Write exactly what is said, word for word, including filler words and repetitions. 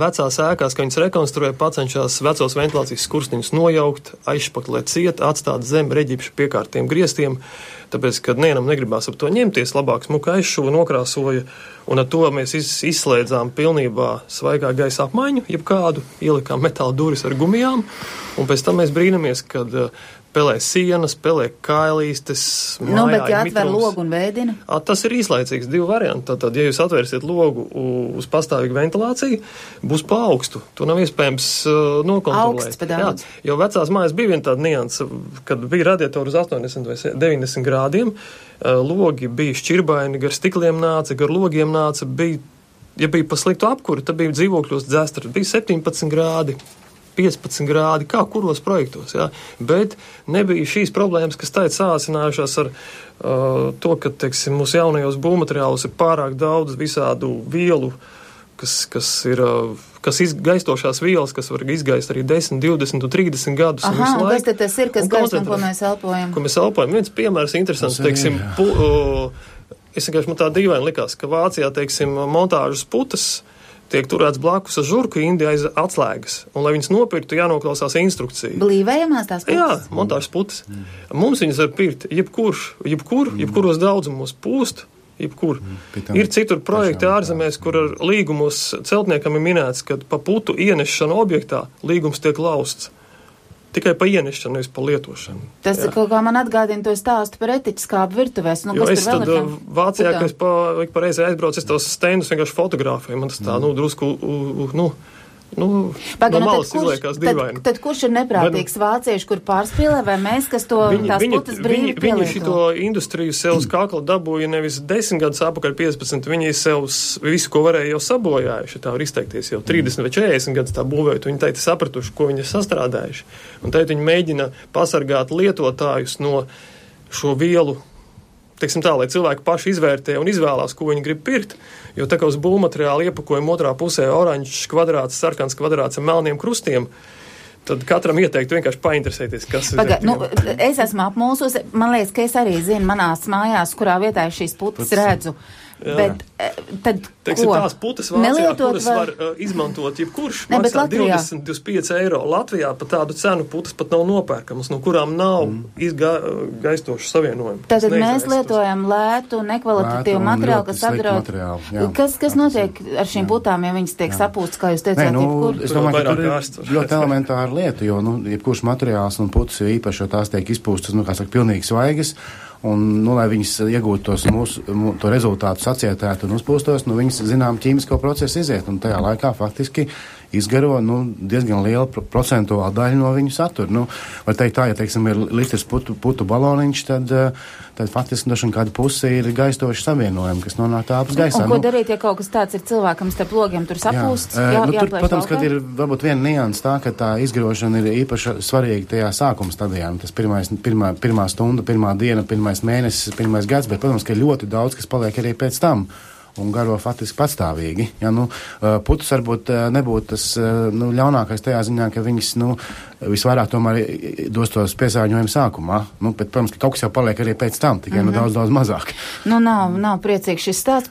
vecās ēkās, ka viņas rekonstruē, pacenšās vecos ventilācijas skursteņus nojaukt, aizšpaklēt ciet, atstāt zem reģipšu piekārtiem griestiem, tāpēc, kad nevienam negribās ap to ņemties, labāk smuka aizšuva, nokrāsoja, un ar to mēs izslēdzām pilnībā svaigā gaisa apmaiņu, jebkādu, ielikām metāla duris ar gumijām, un pēc tam mēs brīnamies, kad pelē sienas, pelē kailīstes, mājā nu, bet ja atver mitrums. logu un vēdina? A, tas ir īslaicīgs, divi varianti. Tātad, ja jūs atvērsiet logu uz pastāvīgu ventilāciju, būs pa augstu. To nav iespējams uh, nokontrolēt. Augsts pa daudz. Jā, jo vecās mājas bija viena tāda nianse, kad bija radiatori uz astoņdesmit vai deviņdesmit grādiem, uh, logi bija šķirbaini, gar stikliem nāca, gar logiem nāca, bija, ja bija pa sliktu apkuri, tad bija dzīvokļos dzēstri, bija septiņpadsmit grādi. piecpadsmit grādi, kā kuros projektos, jā. Bet nebija šīs problēmas, kas tā ir sāsinājušās ar uh, to, ka, teiksim, mūsu jaunajos būvmateriālos ir pārāk daudz visādu vielu, kas, kas ir, uh, kas izgaistošās vielas, kas var izgaist arī desmit, divdesmit un trīsdesmit gadus. Aha, un kas tad tas ir, kas gaist un ko mēs elpojam? Ko mēs elpojam. Viens piemērs interesants, teiksim, pu, uh, es vienkārši man tā dīvaini likās, ka Vācijā, teiksim, montāžas putas tiek turēts blakus ar žurku indi aiz atslēgas, un, lai viņas nopirktu, jānoklausās instrukcija. Blīvējamās tās putas? Jā, montāžas putas. Mm. Mums viņas var pirkt jebkurš, jebkur, mm. jebkuros daudzumos pūst, jebkur. Mm. Ir citur projekti ārzemēs, kur ar līgumos celtniekam ir minēts, ka pa putu ienešanu objektā līgums tiek lausts. Tikai pa ienešanu, nevis pa lietošanu. Tas jā. Kaut kā man atgādina to stāstu par etiķskābu virtuvēs. Nu, jo es tad Vācijā, kad es pa, pa reizi aizbraucu, es tos stendus vienkārši fotografēju. Man tas tā, mm. nu, drusku, uh, nu, nu, Paga, no nu malas kurš, izliekās dīvaini. Tad, tad kurš ir neprātīgs Bet, vācieši, kur pārspīlē, vai mēs, kas to viņi, tās viņi, putas brīvi viņi, pielieto? Viņi šito industriju sev uz kakla dabūja nevis desmit gadus apakaļ piecpadsmit, viņi sev visu, ko varēja jau sabojājuši, tā var izteikties jau trīsdesmit vai četrdesmit gadus tā būvējot, viņi teikt sapratuši, ko viņi ir sastrādājuši. Un teikt viņi mēģina pasargāt lietotājus no šo vielu, teiksim tā, lai cilvēki paši izvērtē un izvēlās, ko viņi grib pirkt, jo tā kā uz būvmateriāla iepakojuma otrā pusē oranžs kvadrāts, sarkans kvadrāts ar melniem krustiem, tad katram ieteiktu vienkārši painteresēties, kas ir. Paga, nu, es esmu apmulsus, man liekas, ka es arī zinu manās mājās, kurā vietā es šīs putas Puts. redzu. Jā. Bet tad Teiksim, ko? Tās putas Vācijā, Nelietot kuras var, var uh, izmantot jebkurš, ne, maksā divdesmit, divdesmit pieci eiro. Latvijā pat tādu cenu putas pat nav nopērkamas, no kurām nav mm. izgaistošu savienojumu. Tātad mēs lietojam lētu, nekvalitatīvu materiālu, kas apdraud. Kas, kas notiek ar šīm jā. putām, ja viņas tiek sapūstas, kā jūs teicāt, nu, jebkur? Es domāju, ka tur ir ļoti elementāra lieta, jo, nu, jebkurš materiāls un putas ir īpaši, jo tās tiek izpūstas, nu, kā saka, pilnīgi svaigas. Un, nu, lai viņas iegūtu tos mūsu, to rezultātu sacietētu un uzpūstos, nu, viņas, zinām, ķīmisko procesu iziet, un tajā laikā faktiski izgaro, nu, diezgan liela procentuāla daļa no viņu satura. Nu, var teikt tā, ja, teiksim, ir litrs putu, putu baloniņš, tad, tad faktiski došana kāda puse ir gaistoši savienojumi, kas nonāk tāpus gaisā. Un ko nu, darīt, ja kaut kas tāds ir cilvēkam starp logiem tur sapūsts? Jā, jā, nu, tur, protams, valkā? kad ir varbūt viena nianses tā, ka tā izgarošana ir īpaši svarīga tajā sākuma stadijā. Tas pirmais, pirmā, pirmā stunda, pirmā diena, pirmais mēnesis, pirmais gads, bet, protams, ka ir ļoti daudz, kas paliek arī pēc tam. Un garo faktiski patstāvīgi. Ja, nu, putas varbūt nebūtu tas nu, ļaunākais tajā ziņā, ka viņas nu, visvairāk tomēr dos tos piesārņojumu sākumā. Nu, bet, protams, ka kaut kas jau paliek arī pēc tam, tikai mm-hmm. nu, daudz, daudz mazāk. Nu, nav, nav priecīgs šis stāsts.